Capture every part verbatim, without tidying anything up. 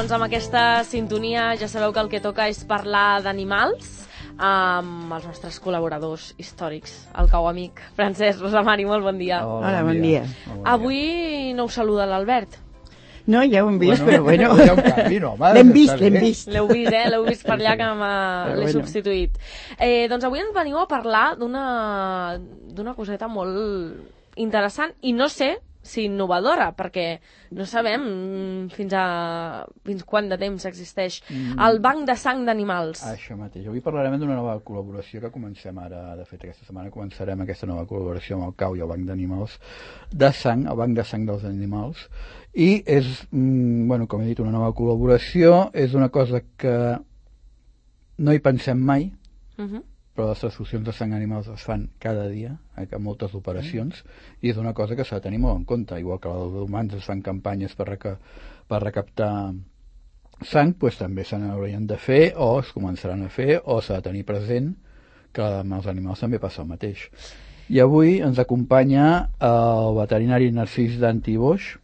doncs amb aquesta sintonia ja sabeu que el que toca és parlar d'animals amb els nostres col·laboradors històrics, el cau amic Francesc Rosamari, molt bon dia. Hola, Hola bon dia. dia. Avui no us saluda l'Albert. No, ja ho hem vist, bueno, però bueno. Ja un canvi, no, l'hem vist, l'hem vist. L'heu vist, eh? L'heu vist per allà que l'he bueno. substituït. Eh, doncs avui ens veniu a parlar d'una d'una coseta molt interessant i no sé si innovadora, perquè no sabem fins a fins quant de temps existeix mm. el banc de sang d'animals. Això mateix. Avui parlarem d'una nova col·laboració que comencem ara. De fet, aquesta setmana començarem aquesta nova col·laboració amb el C A U i el banc d'animals de sang, el banc de sang dels animals. I és, mm, bueno, com he dit, una nova col·laboració. És una cosa que no hi pensem mai, uh -huh. però les transfusions de sang animals es fan cada dia, eh, amb moltes operacions, mm. i és una cosa que s'ha de tenir molt en compte. Igual que els humans es fan campanyes per, reca per recaptar sang, doncs també se n'haurien de fer, o es començaran a fer, o s'ha de tenir present que amb els animals també passa el mateix. I avui ens acompanya el veterinari Narcís Danti Boix.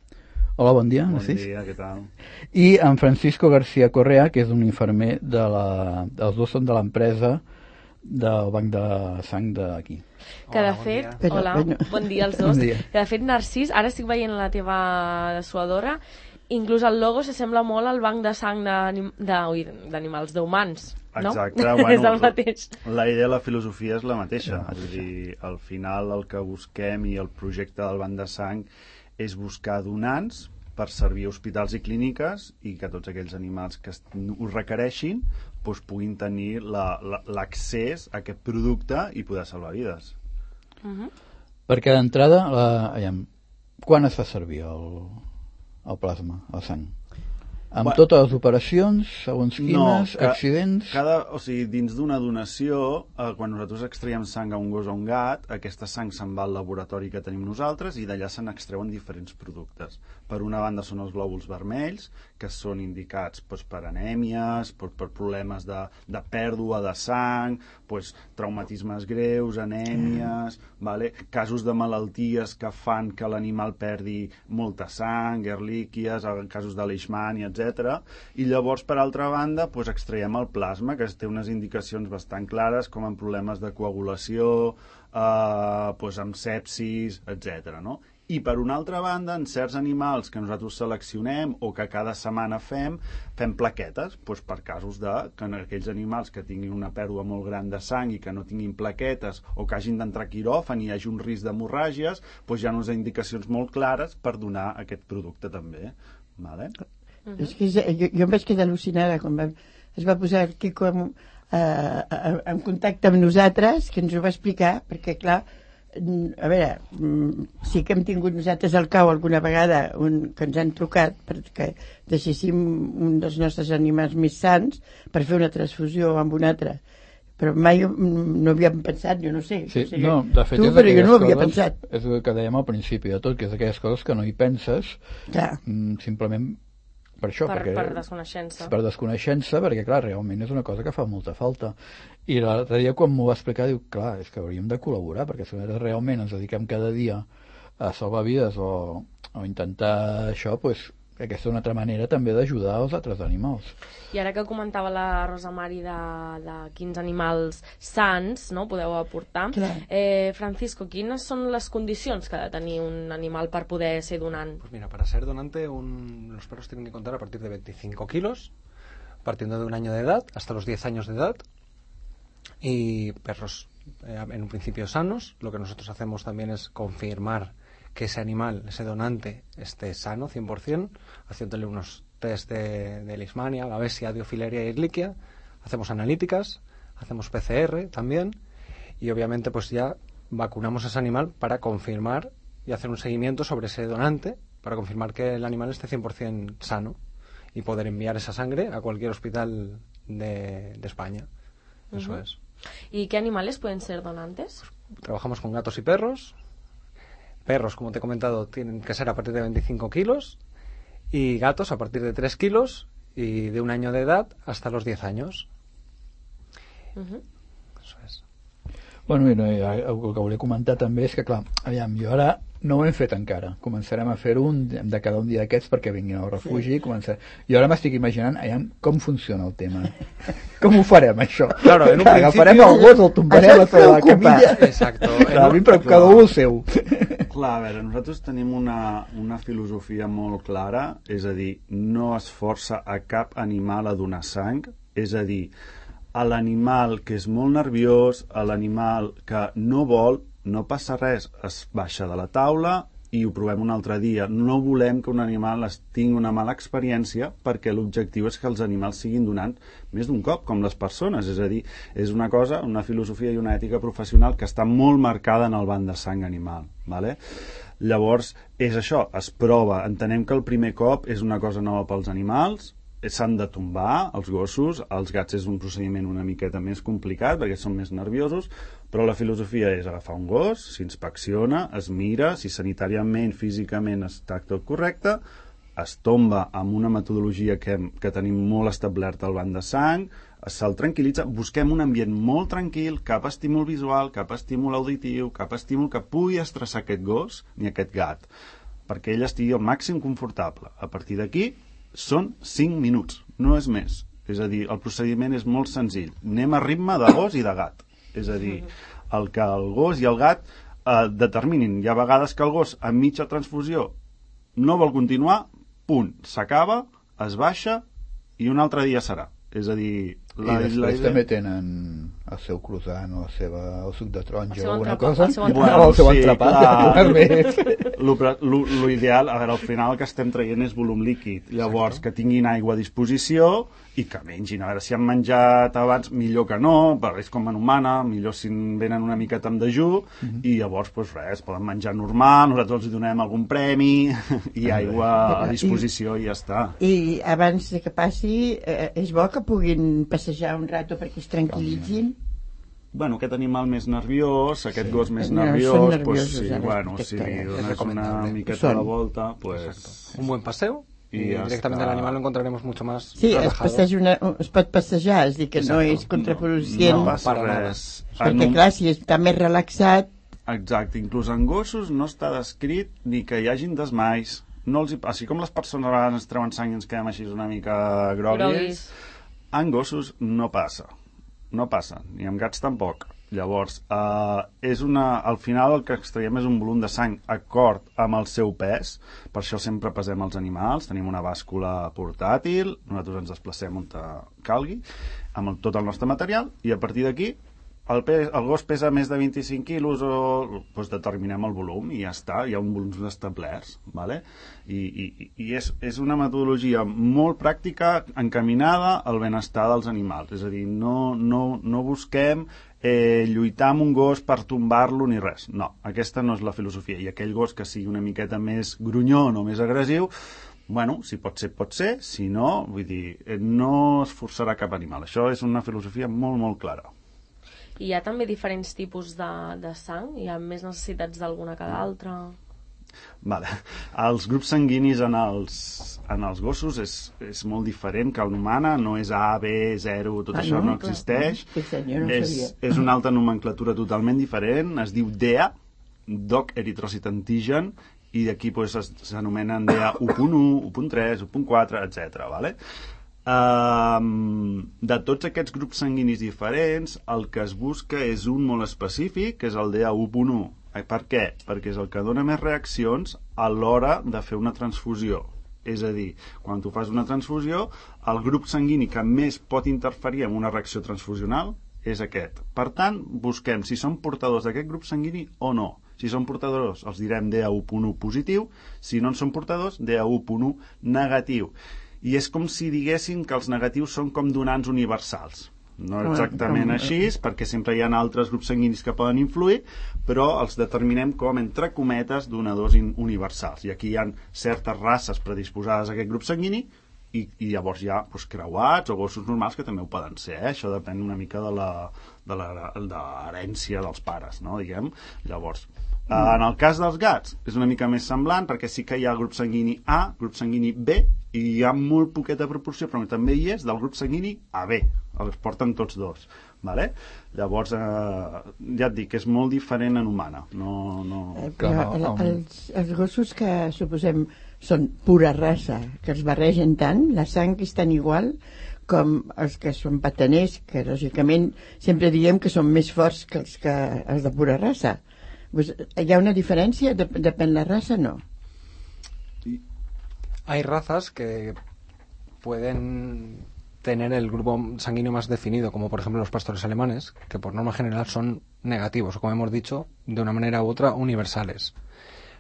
Hola, bon dia, Narcís. Bon dia, què tal? I en Francisco García Correa, que és un infermer de la... Els dos són de l'empresa del banc de sang d'aquí. Que de fet, bon hola, bueno. bon dia als dos. Bon dia. Que de fet, Narcís, ara estic veient la teva dessuadora, inclús el logo s'assembla molt al banc de sang d'animals, d'humans, no? Exacte, bueno, és el mateix. La idea, la filosofia és la mateixa. És a dir, al final el que busquem i el projecte del banc de sang és buscar donants per servir a hospitals i clíniques i que tots aquells animals que ho requereixin doncs puguin tenir l'accés a aquest producte i poder salvar vides. Uh -huh. Perquè d'entrada, la... quan es fa servir el, el plasma, la sang? Amb bueno, totes les operacions, segons quines, no, accidents... Cada, o sigui, dins d'una donació, eh, quan nosaltres extraiem sang a un gos o un gat, aquesta sang se'n va al laboratori que tenim nosaltres i d'allà se n'extreuen diferents productes. Per una banda són els glòbuls vermells, que són indicats doncs, per anèmies, per, per problemes de, de pèrdua de sang, doncs, traumatismes greus, anèmies, vale? Casos de malalties que fan que l'animal perdi molta sang, erlíquies, casos de leishmania, etcètera. I llavors, per altra banda, doncs, extraiem el plasma, que té unes indicacions bastant clares, com en problemes de coagulació, eh, doncs, amb sepsis, etcètera. No? I per una altra banda, en certs animals que nosaltres seleccionem o que cada setmana fem, fem plaquetes, doncs per casos de que en aquells animals que tinguin una pèrdua molt gran de sang i que no tinguin plaquetes o que hagin d'entrar a quiròfan i hi hagi un risc d'hemorràgies, doncs hi ha unes indicacions molt clares per donar aquest producte també. Vale? Uh -huh. És que jo, jo em vaig quedar al·lucinada quan va, es va posar el Quico en, eh, en contacte amb nosaltres, que ens ho va explicar, perquè clar, a veure, sí que hem tingut nosaltres al C A U alguna vegada un, que ens han trucat perquè deixéssim un dels nostres animals més sants per fer una transfusió amb un altre, però mai no havíem pensat, jo no sé, sí, o sigui, no, de fet, tu, però jo no ho havia coses, pensat. És el que dèiem al principi de tot, que és aquelles coses que no hi penses, clar. simplement per això, per, perquè, per desconeixença. Per desconeixença, perquè clar, realment és una cosa que fa molta falta. I l'altre dia quan m'ho va explicar, diu, clar, és que hauríem de col·laborar, perquè si realment ens dediquem cada dia a salvar vides o, o intentar això, doncs aquesta és una altra manera també d'ajudar els altres animals. I ara que comentava la Rosamari de, de quins animals sants, no, podeu aportar, eh, Francisco, quines són les condicions que ha de tenir un animal per poder ser donant? Pues mira, para ser donante un, los perros tienen que contar a partir de veinticinco kilos, partiendo de un año de edad hasta los diez años de edad, y perros eh, en un principio sanos. Lo que nosotros hacemos también es confirmar que ese animal, ese donante, esté sano cien por cien, haciéndole unos test de, de leishmania, babesia, diofileria y ehrlichia, hacemos analíticas, hacemos P C R también, y obviamente pues ya vacunamos a ese animal para confirmar y hacer un seguimiento sobre ese donante, para confirmar que el animal esté cien por cien sano y poder enviar esa sangre a cualquier hospital de, de España. Eso uh-huh. es. ¿Y qué animales pueden ser donantes? Pues, trabajamos con gatos y perros. Perros, como te he comentado, tienen que ser a partir de veinticinco kilos y gatos a partir de tres kilos y de un año de edad hasta los diez años. Uh-huh. Eso es. Bueno, i no, el que volia comentar també és que, clar, aviam, jo ara no ho hem fet encara. Començarem a fer un de cada un dia d'aquests perquè vinguin al refugi. Sí. Començar... Jo ara m'estic imaginant aviam, com funciona el tema. Com ho farem, això? Claro, en un principio... Agafarem el gos, el tombarem a tota la camilla. Exacto. Clar, a mi, però cada un el seu. Clar, a veure, nosaltres tenim una, una filosofia molt clara, és a dir, no es força a cap animal a donar sang, és a dir, a l'animal que és molt nerviós, a l'animal que no vol, no passa res, es baixa de la taula i ho provem un altre dia. No volem que un animal es tingui una mala experiència perquè l'objectiu és que els animals siguin donant més d'un cop, com les persones. És a dir, és una cosa, una filosofia i una ètica professional que està molt marcada en el banc de sang animal. Vale? Llavors, és això, es prova. Entenem que el primer cop és una cosa nova pels animals, s'han de tombar els gossos, els gats és un procediment una miqueta més complicat perquè són més nerviosos, però la filosofia és agafar un gos, s'inspecciona, es mira, si sanitàriament, físicament està tot correcte, es tomba amb una metodologia que, que tenim molt establerta al banc de sang, se'l tranquil·litza, busquem un ambient molt tranquil, cap estímul visual, cap estímul auditiu, cap estímul que pugui estressar aquest gos ni aquest gat, perquè ell estigui al màxim confortable. A partir d'aquí són cinc minuts, no és més. És a dir, el procediment és molt senzill. Anem a ritme de gos i de gat. És a dir, el que el gos i el gat eh, determinin. Hi ha vegades que el gos, a mitja transfusió, no vol continuar, punt, s'acaba, es baixa i un altre dia serà. És a dir... La, I després la idea... també tenen el seu croissant o el, seva, el suc de taronja o alguna entrepà, cosa. El seu entrepà. entrepà. Bueno, el seu Sí, entrepà. clar. Lo, lo, lo ideal, a veure, al final el que estem traient és volum líquid. Llavors, que tinguin aigua a disposició i que mengin. A veure, si han menjat abans, millor que no, però és com en humana, millor si venen una miqueta amb dejú, mm-hmm. i llavors, doncs res, poden menjar normal, nosaltres els donem algun premi i aigua a disposició i ja està. I abans de que passi, eh, és bo que puguin passejar un rato perquè es tranquil·litzin? Bueno, aquest animal més nerviós, aquest Sí. gos més No, nerviós, són pues, nerviosos, sí, ara, bueno, aquest si que li és dones una recomendable. miqueta Són. de volta, pues... Exacto. Un buen paseo y, Y ya directamente está. el animal lo encontraremos mucho más Sí, es, relajado. passeja una, es pot passejar, és a dir, que no Exacto. és contraproducent, No passa Para nada. res. perquè En un- clar, si està més relaxat, Exacte, inclús en gossos no està descrit ni que hi hagin desmais. No els hi... Així com les persones a vegades ens treuen sang i ens quedem així una mica groguis, Groguis. en gossos no passa. No passa, ni amb gats tampoc. Llavors, eh, és una, al final el que extraiem és un volum de sang acord amb el seu pes, per això sempre pesem els animals, tenim una bàscula portàtil, nosaltres ens desplacem on calgui, amb el, tot el nostre material, i a partir d'aquí el, pes, el gos pesa més de vint-i-cinc quilos o doncs determinem el volum i ja està, hi ha un volums establerts, ¿vale? I, i, i és, és una metodologia molt pràctica encaminada al benestar dels animals, és a dir, no, no, no busquem eh, lluitar amb un gos per tombar-lo ni res, no, aquesta no és la filosofia, i aquell gos que sigui una miqueta més grunyon o més agressiu, bueno, si pot ser, pot ser, si no, vull dir, no es forçarà cap animal, això és una filosofia molt, molt clara. I hi ha també diferents tipus de, de sang? Hi ha més necessitats d'alguna que d'altra? Vale. Els grups sanguinis en els, en els gossos és, és molt diferent que en l'humana, no és A, B, zero, tot Ah, això no? no existeix. Sí, senyor, no és, sabia. és una altra nomenclatura totalment diferent, es diu D E A, Dog Erythrocyte Antigen, i d'aquí pues, s'anomenen D E A u punt u, u punt tres, u punt quatre, etcètera. Vale? Um, de tots aquests grups sanguinis diferents, el que es busca és un molt específic, que és el D E A u punt u. Per què? Perquè és el que dona més reaccions a l'hora de fer una transfusió. És a dir, quan tu fas una transfusió, el grup sanguini que més pot interferir en una reacció transfusional és aquest. Per tant, busquem si són portadors d'aquest grup sanguini o no. Si són portadors, els direm D E A u punt u positiu. Si no en són portadors, D E A u punt u negatiu. I és com si diguéssim que els negatius són com donants universals. No exactament Com- així, perquè sempre hi ha altres grups sanguinis que poden influir, però els determinem com, entre cometes, donadors in- universals. I aquí hi ha certes races predisposades a aquest grup sanguini i, i llavors hi ha doncs, creuats o gossos normals que també ho poden ser. Eh? Això depèn una mica de la, de la, de l'herència dels pares, no? Diguem. Llavors, eh, en el cas dels gats és una mica més semblant perquè sí que hi ha grup sanguini A, grup sanguini B, i hi ha molt poqueta proporció, però també hi és del grup sanguini A B. els porten tots dos. Vale? Llavors, eh, ja et dic, és molt diferent en humana. No, no... Eh, però el, els, els gossos que suposem són pura raça, que els barregen tant, la sang és tan igual com els que són pataners, que lògicament sempre diem que són més forts que els, que, els de pura raça. Pues, ¿hi ha una diferència? Dep depèn la raza, no? Hay razas que pueden tener el grupo sanguíneo más definido, como por ejemplo los pastores alemanes, que por norma general son negativos, o como hemos dicho, de una manera u otra universales.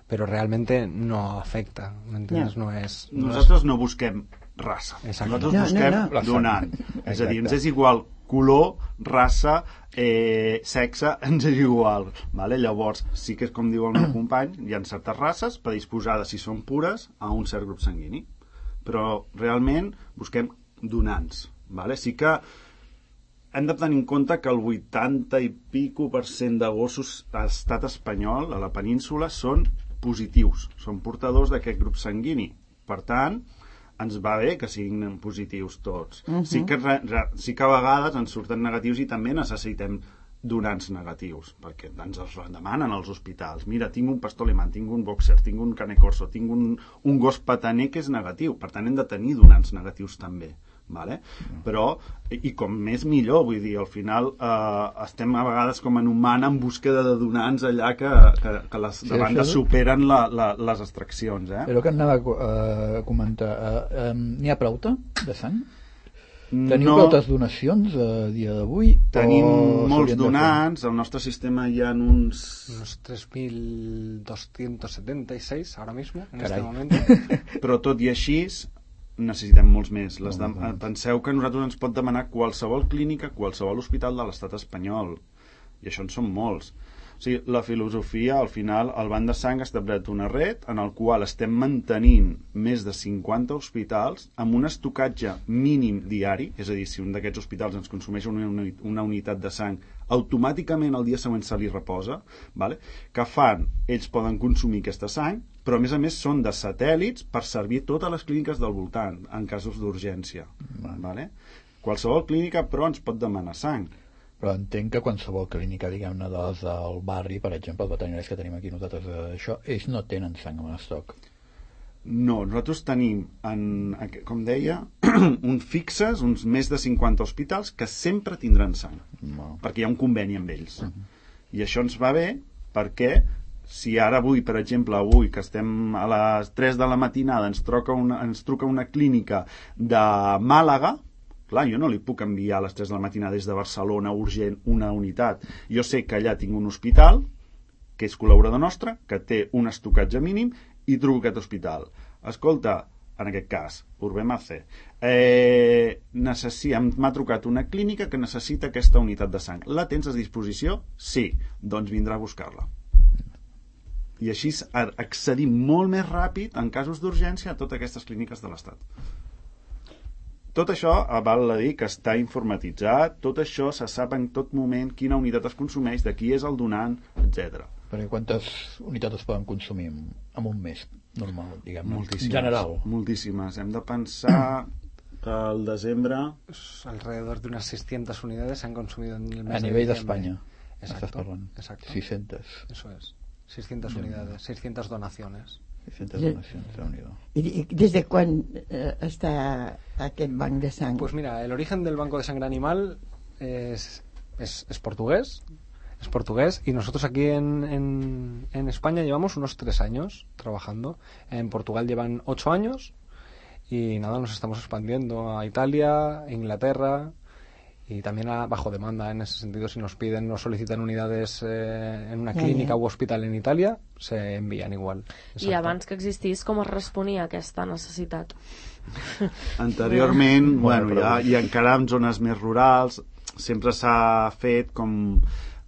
Pero realmente no afecta, ¿me entiendes? No, no es... No Nosaltres es... no busquem raça. Exacte. Nosaltres no, busquem no, no. donant. És a dir, ens és igual color, raça, eh, sexe, ens és igual. Vale? Llavors, sí que és com diu el meu company, hi ha certes races predisposades, si són pures, a un cert grup sanguini. Però realment busquem donants. Vale? Sí que hem de tenir en compte que el vuitanta i pico per cent de gossos a l'estat espanyol, a la península, són positius, són portadors d'aquest grup sanguini. Per tant, ens va bé que siguin positius tots. Uh-huh. Sí que, re, re, sí que a vegades ens surten negatius i també necessitem donants negatius, perquè ens els demanen als hospitals. Mira, tinc un pastor alemany, tinc un boxer, tinc un cane corso, tinc un, un gos pataner que és negatiu. Per tant, hem de tenir donants negatius també. Vale? Però, i com més millor, vull dir, al final eh, estem a vegades com en humana en búsqueda de donants allà que, que, que les sí, demandes superen la, la, les extraccions. Eh? Però que anava a comentar, uh, um, n'hi ha prou-te de sang? Teniu no, moltes donacions a dia d'avui? Tenim molts donants, al nostre sistema hi ha uns... Unos tres mil doscientos setenta y seis ahora mismo, en Carai. este momento. Però tot i així necessitem molts més. Les de... Penseu que a nosaltres ens pot demanar qualsevol clínica, qualsevol hospital de l'estat espanyol. I això en són molts. O sigui, la filosofia, al final, el Banc de Sang ha establert una red en el qual estem mantenint més de cinquanta hospitals amb un estocatge mínim diari, és a dir, si un d'aquests hospitals ens consumeix una, una unitat de sang, automàticament el dia següent se li reposa, vale? Que fan, ells poden consumir aquesta sang, però a més a més són de satèl·lits per servir totes les clíniques del voltant en casos d'urgència. Vale? Qualsevol clínica, però, ens pot demanar sang. Però entenc que qualsevol clínica, diguem-ne, de les del barri, per exemple, els veterinaris que tenim aquí nosaltres, això, ells no tenen sang en estoc. No, nosaltres tenim, en, com deia, uns fixes, uns més de cinquanta hospitals que sempre tindran sang, no. perquè hi ha un conveni amb ells. Uh-huh. I això ens va bé perquè si ara avui, per exemple, avui que estem a les tres de la matinada ens truca una, ens truca una clínica de Màlaga, clar, jo no li puc enviar a les tres de la matinada des de Barcelona urgent una unitat. Jo sé que allà tinc un hospital que és col·laborador nostre, que té un estocatge mínim, i truco a aquest hospital. Escolta, en aquest cas, Urbemace, eh, necessi... m'ha trucat una clínica que necessita aquesta unitat de sang. La tens a disposició? Sí. Doncs vindrà a buscar-la. I així accedim molt més ràpid en casos d'urgència a totes aquestes clíniques de l'Estat. Tot això, val a dir que està informatitzat, tot això se sap en tot moment quina unitat es consumeix, de qui és el donant, etcètera. Perquè quantes unitats es poden consumir en un mes normal, diguem-ne? Moltíssimes. En general. Moltíssimes. Hem de pensar que al desembre... Alrededor de unas seiscientas unidades se han consumido en el mes a de nivell diciembre. d'Espanya. Estàs parlant. Exacto. seiscientas. Eso es. seiscientas unidades, seiscientas donaciones. seiscientas donacions, Déu-n'hi-do. ¿Y desde cuándo eh, está aquest banc de sang? Pues mira, el origen del Banco de Sangre Animal es, es, es portugués. Es portugués y nosotros aquí en, en, en España llevamos unos tres años trabajando. En Portugal llevan ocho años y nada, nos estamos expandiendo a Italia, Inglaterra y también a bajo demanda. En ese sentido, si nos piden, nos solicitan unidades eh, en una clínica u hospital en Italia, se envían igual. Exacte. I abans que existís, com es responia a aquesta necessitat? Anteriorment, bueno, ja, i encara en zones més rurals, sempre s'ha fet com...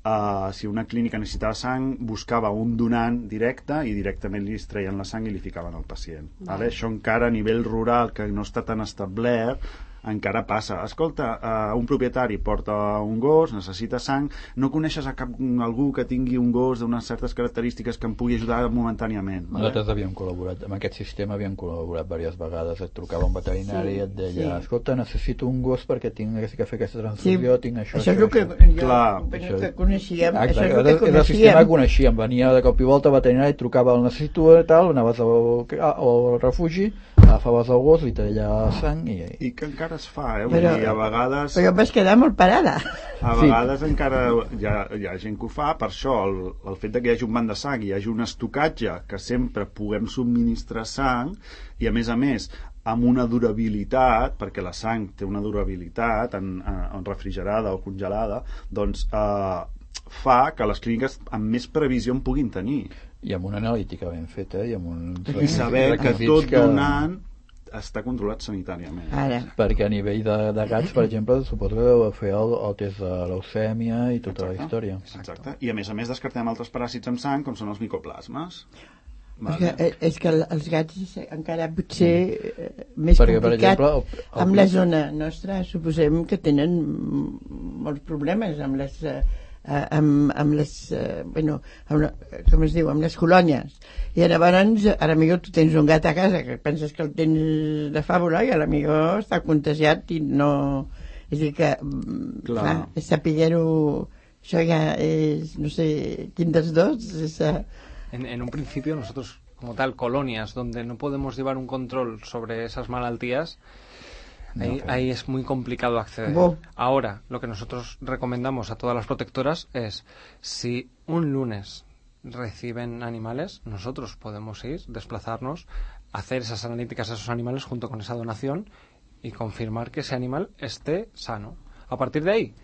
Uh, si una clínica necessitava sang, buscava un donant directe i directament li extreien la sang i li ficaven al pacient. Vale. Vale? Això encara a nivell rural, que no està tan establert, encara passa. Escolta, uh, un propietari porta un gos, necessita sang, no coneixes a cap, algú que tingui un gos d'unes certes característiques que em pugui ajudar momentàniament. Nosaltres vale? havíem col·laborat, amb aquest sistema havíem col·laborat diverses vegades, et trucava un veterinari sí, i et deia, sí. escolta, necessito un gos perquè tinc que fer aquesta transfusió, sí. tinc això, això. Això és el que, jo, Clar, això, que coneixíem. Exacte, això és el que coneixíem. El sistema que coneixíem, venia de cop i volta veterinari, trucava el necessito i tal, anaves al, al refugi, agafaves el gos, li tallava sang i... I que encara es fa, eh? Però, dir, a vegades... Però vas quedar molt parada. A vegades sí. encara hi ha, hi ha gent que ho fa, per això el, el fet de que hi hagi un banc de sang, hi hagi un estocatge, que sempre puguem subministrar sang, i a més a més, amb una durabilitat, perquè la sang té una durabilitat en, en refrigerada o congelada, doncs eh, fa que les clíniques amb més previsió en puguin tenir. I amb una analítica ben feta i amb un... I saber que tot que... donant està controlat sanitàriament. Ara. Perquè a nivell de, de gats, per exemple, suposo que deu fer el, el test de leucèmia i tota Exacte. la història. Exacte. I a més a més descartem altres paràsits amb sang, com són els micoplasmes. Vale. És, que, és que els gats encara potser mm. més Perquè, complicat per exemple, el, el... amb la zona nostra suposem que tenen molts problemes amb les eh, amb, amb les eh, bueno, amb la, com es diu, amb les colònies i llavors ara millor tu tens un gat a casa que penses que el tens de fàbula i a millor està contagiat i no, és a dir que clar, clar és sapiguer-ho, això ja és no sé, quin dels dos és a... En, en un principio nosotros como tal colonias donde no podemos llevar un control sobre esas malaltías, ahí, no, okay. ahí es muy complicado acceder. Wow. Ahora, lo que nosotros recomendamos a todas las protectoras es, si un lunes reciben animales, nosotros podemos ir, desplazarnos, hacer esas analíticas a esos animales junto con esa donación y confirmar que ese animal esté sano. A partir de ahí,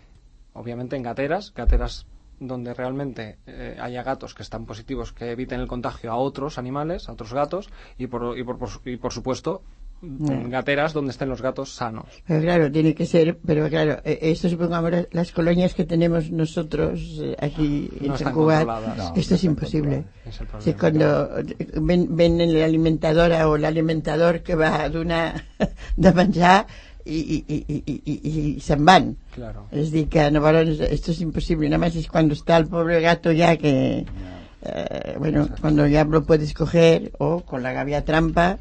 obviamente en gateras, gateras donde realmente eh, haya gatos que están positivos, que eviten el contagio a otros animales, a otros gatos, y por, y por, por, y por supuesto en gateras donde estén los gatos sanos. Pero claro, tiene que ser, pero claro, esto supongamos las colonias que tenemos nosotros aquí en no San Cugat, no, esto no es imposible. Es el problema, si cuando ven, ven en la alimentadora o el alimentador que va a donar de menjar i, i, i, i, i, i se'n van. Claro. Es dir que llavors esto es imposible, nada más es cuando está el pobre gato ya que eh, bueno, Exacto. cuando ya lo puedes coger o con la gavia trampa.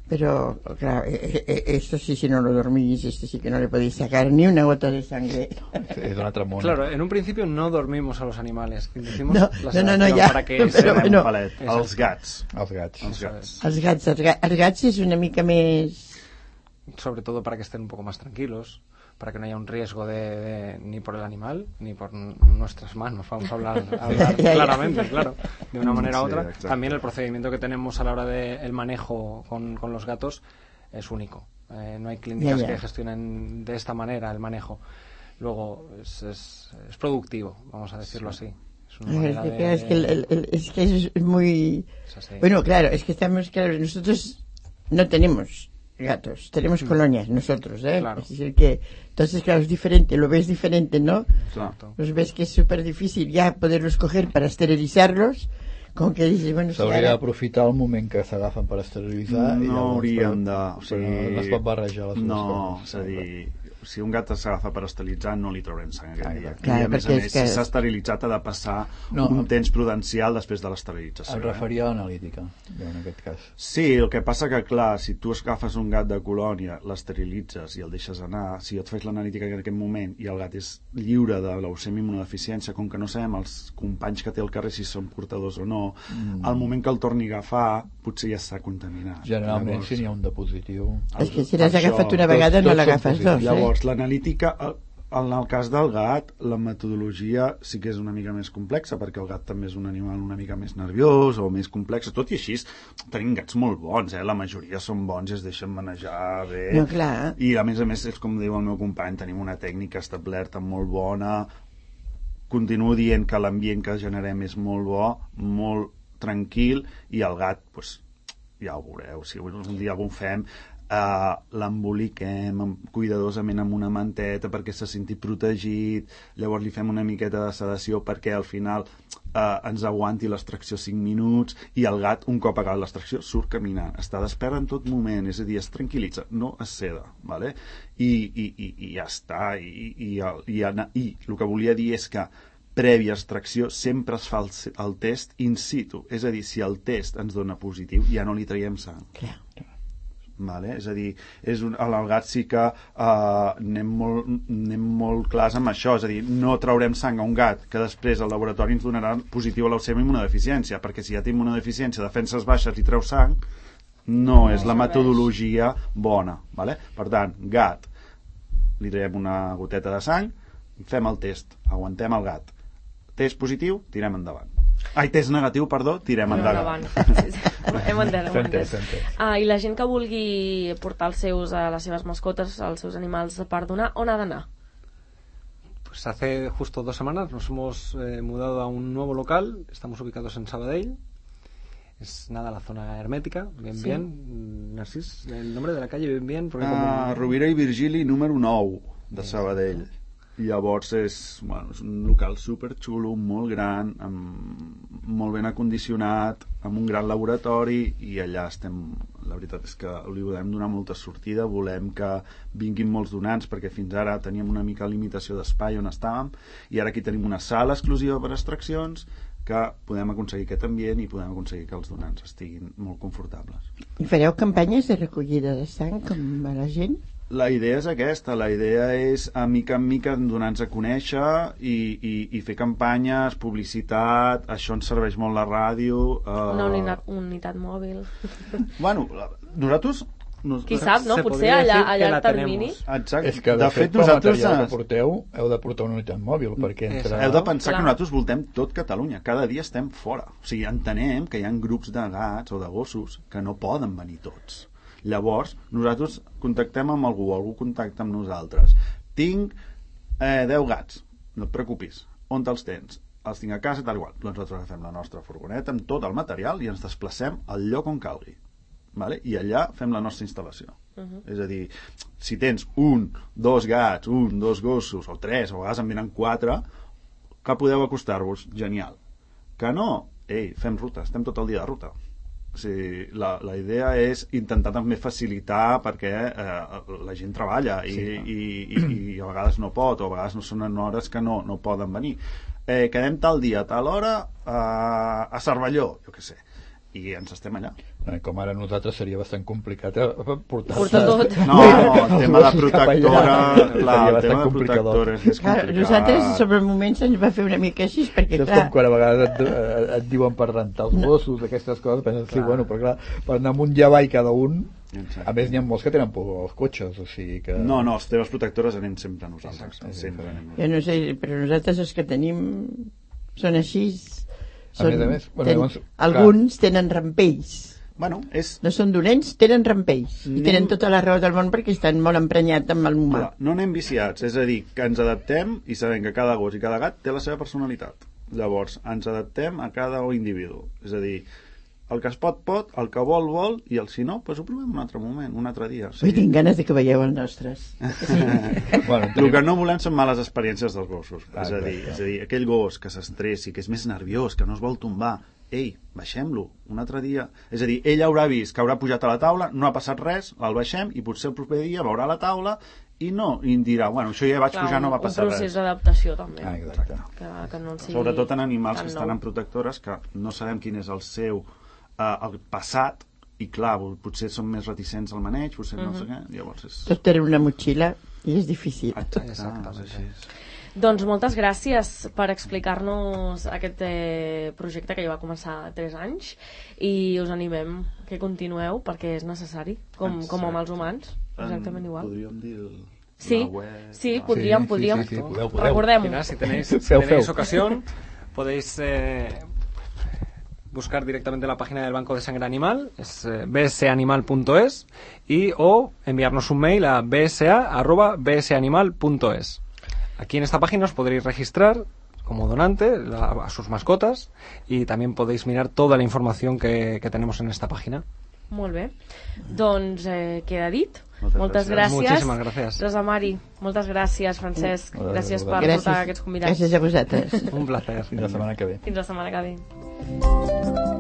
Pero, claro, esto sí, si no lo dormís, esto sí que no le podéis sacar ni una gota de sangre. Es una tramona. Claro, en un principio no dormimos a los animales. Decimos no, la no, no, no, ja. Para que però, bueno, palet. Els gats. Els gats. Els gats. Els gats, els gats, els gats és una mica més... Sobre todo para que estén un poco más tranquilos, para que no haya un riesgo de, de ni por el animal ni por nuestras manos, vamos a hablar, a hablar claramente, claro, de una manera u otra. Sí, también el procedimiento que tenemos a la hora del de manejo con, con los gatos es único. Eh, no hay clínicas yeah, yeah. que gestionen de esta manera el manejo. Luego es, es, es productivo, vamos a decirlo sí. así. Es, una manera es, que, de, es, que el, el, el, es que es muy... Es bueno, claro, es que estamos, claro, nosotros no tenemos gatos, tenemos colonias nosotros, ¿eh? Claro. Es decir que, entonces claro, es diferente, lo ves diferente, ¿no? Exacto. Los ves que es súper difícil ya poderlos coger para esterilizarlos, com que dices, bueno... S'hauria si ara... d'aprofitar el moment que s'agafen per esterilitzar no i llavors hauríem de... O sigui, no es pot barrejar les dues no, coses. És a dir, si un gat s'agafa per esterilitzar no li traurem sang aquell dia. Clar, I a més a més, que... si s'ha esterilitzat ha de passar no, un temps prudencial després de l'esterilització. Em referia a l'analítica, en aquest cas. Sí, el que passa que, clar, si tu agafes un gat de colònia, l'esterilitzes i el deixes anar, si et fes l'analítica en aquest moment i el gat és lliure de leucèmia immunodeficiència, com que no sabem els companys que té al carrer si són portadors o no, mm. al moment que el torni a agafar potser ja s'ha contaminat. Generalment, llavors, si n'hi ha un de positiu... És que si l'has agafat una vegada no l'agafes dos, eh? Llavors, l'analítica, en el cas del gat, la metodologia sí que és una mica més complexa, perquè el gat també és un animal una mica més nerviós o més complex. Tot i així, tenim gats molt bons, eh? La majoria són bons i es deixen manejar bé. No, clar. I a més a més, és com diu el meu company, tenim una tècnica establerta molt bona. Continuo dient que l'ambient que generem és molt bo, molt tranquil, i el gat, doncs, ja ho veureu, si un dia algun fem, Uh, l'emboliquem cuidadosament amb una manteta perquè se senti protegit, llavors li fem una miqueta de sedació perquè al final uh, ens aguanti l'extracció cinc minuts, i el gat, un cop acabat l'extracció, surt caminant, està despert en tot moment, és a dir, es tranquil·litza, no es seda, vale? I, i, i, i ja està, i, i, i, i, i el que volia dir és que prèvia extracció sempre es fa el, el test in situ, és a dir, si el test ens dona positiu ja no li traiem sang. Clar, clar. Vale? És a dir, és un, al gat sí que uh, anem, molt, anem molt clars amb això, és a dir, no traurem sang a un gat que després el laboratori ens donarà positiu a la seva immunodeficiència, perquè si ja té immunodeficiència, defenses baixes i treu sang, no és la metodologia bona. Vale? Per tant, gat, li traiem una goteta de sang, fem el test, aguantem el gat, test positiu, tirem endavant. Ai, test negatiu, perdó, tirem endavant. Hem entès, hem entès. Ah, I la gent que vulgui portar els seus, a les seves mascotes, els seus animals per donar, on ha d'anar? Pues hace justo dos semanas nos hemos eh, mudado a un nuevo local, estamos ubicados en Sabadell, es nada la zona hermética, bien, sí. bien, Narcís, el nombre de la calle, bien, bien, porque uh, como... Rovira i Virgili, número nou de Sabadell. Llavors és, bueno, és un local superxulo, molt gran, amb, molt ben acondicionat, amb un gran laboratori, i allà estem, la veritat és que li volem donar molta sortida, volem que vinguin molts donants, perquè fins ara teníem una mica limitació d'espai on estàvem, i ara aquí tenim una sala exclusiva per extraccions, que podem aconseguir aquest ambient i podem aconseguir que els donants estiguin molt confortables. I fareu campanyes de recollida de sang com a la gent? La idea és aquesta, la idea és a mica en mica donar-nos a conèixer i, i, i fer campanyes, publicitat, això ens serveix molt la ràdio. Uh... Una unitat, unitat mòbil. Bueno, nosaltres... Nos... Qui sap, no? Potser allà, allà al termini. Exacte. És que de, de fet, fet nosaltres... material que porteu, heu de portar una unitat mòbil, perquè entre... Heu de pensar Clar. que nosaltres voltem tot Catalunya. Cada dia estem fora. O sigui, entenem que hi ha grups de gats o de gossos que no poden venir tots. Llavors, nosaltres contactem amb algú, algú contacta amb nosaltres. Tinc eh, deu gats, no et preocupis, on te'ls tens? Els tinc a casa, tal igual. Doncs nosaltres agafem la nostra furgoneta amb tot el material i ens desplacem al lloc on calgui. Vale? I allà fem la nostra instal·lació. Uh-huh. És a dir, si tens un, dos gats, un, dos gossos, o tres, o a vegades en venen quatre, que podeu acostar-vos, genial. Que no, ei, fem ruta, estem tot el dia de ruta. O sigui, la, la idea és intentar també facilitar perquè eh, la gent treballa i, sí, i, i, i a vegades no pot, o a vegades no són en hores que no, no poden venir. Eh, quedem tal dia, tal hora eh, a Cervelló, jo què sé, i ens estem allà. Eh, com ara nosaltres seria bastant complicat eh, portar, portar tot. No, no, el tema de protectora, clar, el tema de protectora és més complicat. Nosaltres sobre el moment se'ns va fer una mica així, perquè això és clar... com quan a vegades et, et diuen per rentar els gossos, aquestes coses, penses, sí, bueno, però clar, per anar amb un llavall cada un, exacte. A més n'hi ha molts que tenen por als cotxes, o sigui que... No, no, els teves protectores anem sempre a nosaltres. Sempre anem a nosaltres. Jo no sé, però nosaltres els que tenim són així... Són, a més a més, bueno, ten, llavors, alguns tenen rampells. Bueno, és... No són dolents, tenen rampells. I tenen tota la raó del món perquè estan molt emprenyats amb el humà. Clar, no anem viciats, és a dir, que ens adaptem i sabem que cada gos i cada gat té la seva personalitat. Llavors, ens adaptem a cada individu. És a dir, el que es pot, pot, el que vol, vol, i el si no, doncs ho provem un altre moment, un altre dia. O sigui... Ui, tinc ganes de que veieu els nostres. Sí. Bueno, el que no volem són males experiències dels gossos. Ah, és, a dir, és a dir, aquell gos que s'estressi, que és més nerviós, que no es vol tombar, ei, baixem-lo un altre dia. És a dir, ell haurà vist que haurà pujat a la taula, no ha passat res, el baixem i potser el proper dia veurà la taula i no, i dirà, bueno, això ja vaig Clar, pujar, no va passar res. Un procés d'adaptació també. Ah, exacte. Que, que no sigui Sobretot en animals que estan en protectores, que no sabem quin és el seu eh, el passat, i clar, potser són més reticents al maneig, potser uh-huh. no sé què, llavors és... Tot té una motxilla i és difícil. Exacte, Exacte. Així és. Doncs moltes gràcies per explicar-nos aquest eh, projecte que ja va començar tres anys i us animem que continueu perquè és necessari, com, com amb els humans, exactament igual. Podríem dir el... Sí, sí, podríem, sí, podríem. Sí, sí, sí, podeu, podeu. Recordem-ho. Si tenéis, si tenéis ocasión, podéis eh, buscar directamente la página del Banco de Sangre Animal, es eh, b s animal punto es, y o enviarnos un mail a b s a arroba b s animal punto es. Aquí en esta página os podréis registrar como donante la, a sus mascotas y también podéis mirar toda la información que, que tenemos en esta página. Molt bé. Doncs eh, queda dit. Moltes Moltes gràcies. gràcies. Moltíssimes gràcies. Rosa Mari, moltes gràcies, Francesc. Moltes Gràcies per gràcies. portar aquests convidats. Gràcies a vosaltres. Un placer. Fins la setmana que ve. Fins la setmana que ve.